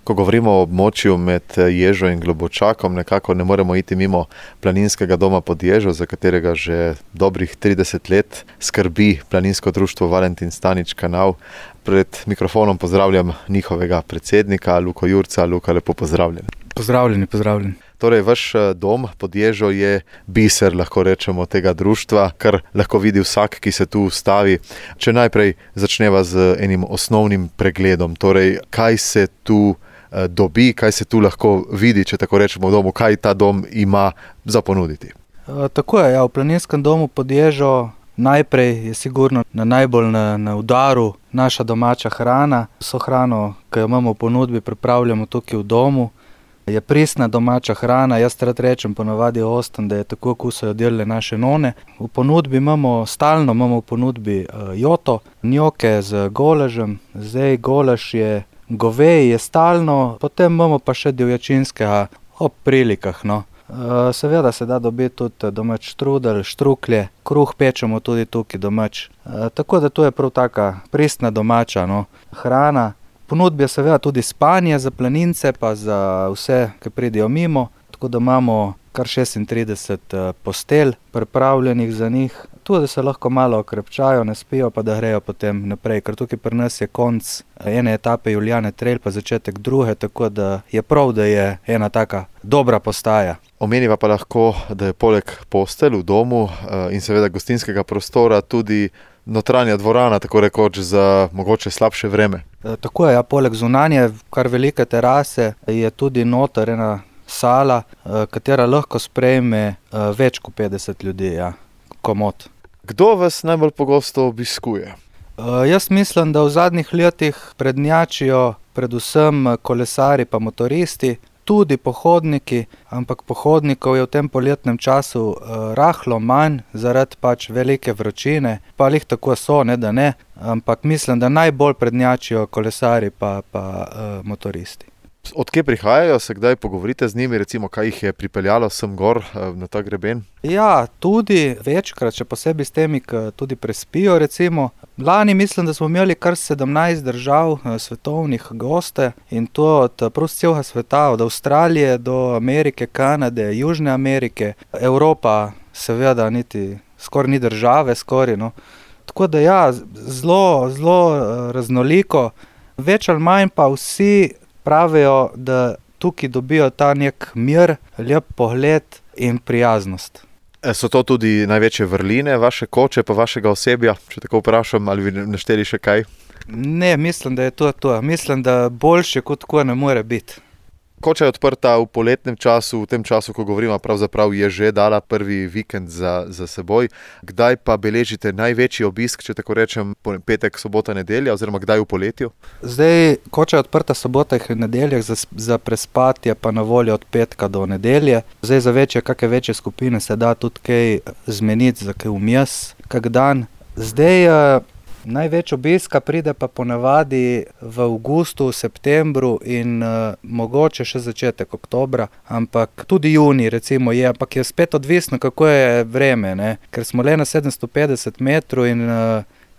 Ko govorimo o območju med Ježo in Globočakom, nekako ne moremo iti mimo planinskega doma pod Ježo, za katerega že dobrih 30 let skrbi planinsko društvo Valentin Stanič Kanal. Pred mikrofonom pozdravljam njihovega predsednika, Luko Jurca. Luka, lepo pozdravljen. Pozdravljeni. Torej, vaš dom pod Ježo je biser, lahko rečemo, tega društva, kar lahko vidi vsak, ki se tu ustavi. Če najprej začneva z enim osnovnim pregledom, torej, kaj se tu dobi, kaj se tu lahko vidi, če tako rečemo v domu, kaj ta dom ima za ponuditi. Tako je, v planinskem domu pod Ježo najprej je sigurno najbolj na udaru naša domača hrana. Vso hrano, ki jo imamo v ponudbi, pripravljamo tukaj v domu. Je pristna domača hrana, jaz rad rečem ponavadi ostam, da je tako, kot so jo delale naše none. V ponudbi stalno imamo v ponudbi joto, njoke z golažem. Zdaj golaž je goveji, je stalno, potem imamo pa še divjačinskega ob prilikah. Seveda se da dobiti tudi domač štrudel, štruklje, kruh pečemo tudi tukaj domač. Tako da to je prav taka pristna domača hrana. Ponudbi je seveda tudi spanje za planince, pa za vse, ki pridejo mimo, tako da imamo kar 36 postelj pripravljenih za njih. Tudi se lahko malo okrepčajo, ne spijo, pa da grejo potem naprej, ker tukaj pri nas je konec ene etape Julijane Trail, pa začetek druge, tako da je prav, da je ena taka dobra postaja. Omeniva pa lahko, da je poleg postelj v domu in seveda gostinskega prostora tudi notranja dvorana, tako rekoč, za mogoče slabše vreme. Tako je, poleg zunanje, kar velike terase, je tudi noter ena sala, katera lahko sprejme več kot 50 ljudi, komot. Kdo vas najbolj pogosto obiskuje? Jaz mislim, da v zadnjih letih prednjačijo predvsem kolesari pa motoristi, tudi pohodniki, ampak pohodnikov je v tem poletnem času rahlo manj, zaradi velike vročine, pa lih tako so, ne da ne, ampak mislim, da najbolj prednjačijo kolesari pa motoristi. Od kje prihajajo, se kdaj pogovorite z njimi, recimo, kaj jih je pripeljalo sem gor na ta greben? Ja, tudi večkrat, še posebej s temi, ki tudi prespijo, recimo. Lani mislim, da smo imeli kar 17 držav svetovnih goste in to od prav celega sveta, od Avstralije do Amerike, Kanade, Južne Amerike, Evropa seveda niti skoraj ni države, Tako da zelo raznoliko, več ali manj pa vsi pravijo, da tukaj dobijo ta nek mir, lep pogled in prijaznost. So to tudi največje vrline vaše koče pa vašega osebja, če tako vprašam, ali bi našteli še kaj? Ne, mislim, da je to. Mislim, da boljše kot tako ne more biti. Koča je odprta v poletnem času, v tem času, ko govorimo, pravzaprav je že dala prvi vikend za seboj. Kdaj pa beležite največji obisk, če tako rečem, petek, sobota, nedelja, oziroma kdaj v poletju? Zdaj, Koča je odprta sobotah in nedeljah, za prespat je pa na voljo od petka do nedelje. Zdaj za kakšne večje skupine se da tudi kaj zmeniti za kaj vmes, kak dan. Zdaj največ obiska pride pa ponavadi v avgustu, septembru in mogoče še začetek oktobra, ampak tudi junij recimo je, ampak je spet odvisno, kako je vreme, ker smo le na 750 metrov in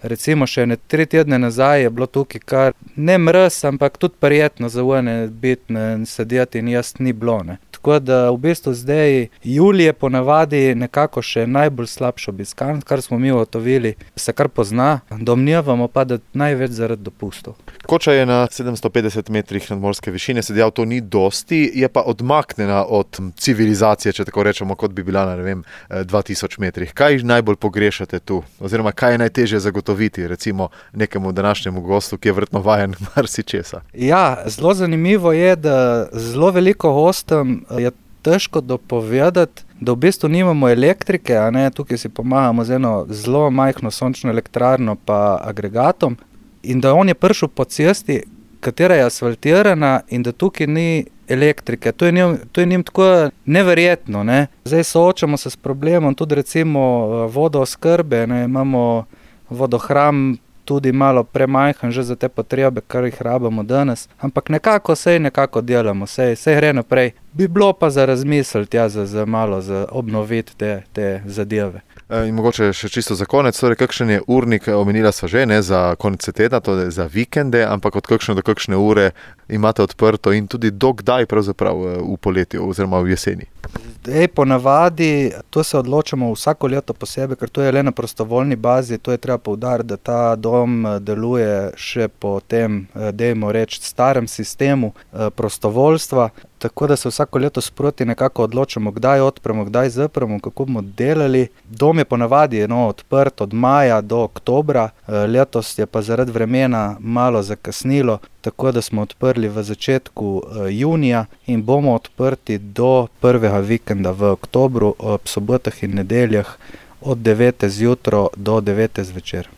recimo še 3 tedne nazaj je bilo tukaj kar ne mraz, ampak tudi prijetno za one biti in sedeti in jaz ni bilo. Tako da v bistvu zdaj julij je ponavadi nekako še najbolj slabš obiskan, kar smo mi ugotovili, se kar pozna, domnevamo pa, da največ zaradi dopustov. Koča je na 750 metrih nadmorske višine, se dejal, to ni dosti, je pa odmaknjena od civilizacije, če tako rečemo, kot bi bila na 2000 metrih. Kaj najbolj pogrešate tu? Oziroma, kaj je najtežje zagotoviti, recimo nekemu današnjemu gostu, ki je verjetno vajen marsičesa? Ja, zelo zanimivo je, da zelo veliko gostom je težko dopovedati, da v bistvu nimamo elektrike, tukaj si pomagamo z eno zelo majhno sončno elektrarno pa agregatom in da on je prišel po cesti, katera je asfaltirana in da tukaj ni elektrike. To je njim tako neverjetno. Zdaj soočamo se s problemom tudi recimo vodooskrbe, imamo vodohram tudi malo premajhen že za te potrebe, kar jih rabimo danes, ampak nekako delamo, sej gre naprej. Bi bilo pa za razmisliti, za malo za obnoviti te zadeve. In mogoče še čisto za konec, torej kakšen je urnik, omenila sva že, ne za konec tedna, to je za vikende, ampak od kakšne do kakšne ure imate odprto in tudi do kdaj pravzaprav v poletju oziroma v jeseni? Ponavadi to se odločamo vsako leto posebej, ker to je le na prostovoljni bazi, to je treba poudariti, da ta dom deluje še po tem, dajmo reči, starem sistemu prostovoljstva, tako da se vsako leto sproti nekako odločamo, kdaj odpremo, kdaj zapremo, kako bomo delali. Dom je ponavadi odprt od maja do oktobra, letos je pa zaradi vremena malo zakasnilo, tako da smo odprli v začetku junija in bomo odprti do prvega vikenda v oktobru ob sobotah in nedeljah od 9. zjutraj do 9. zvečer.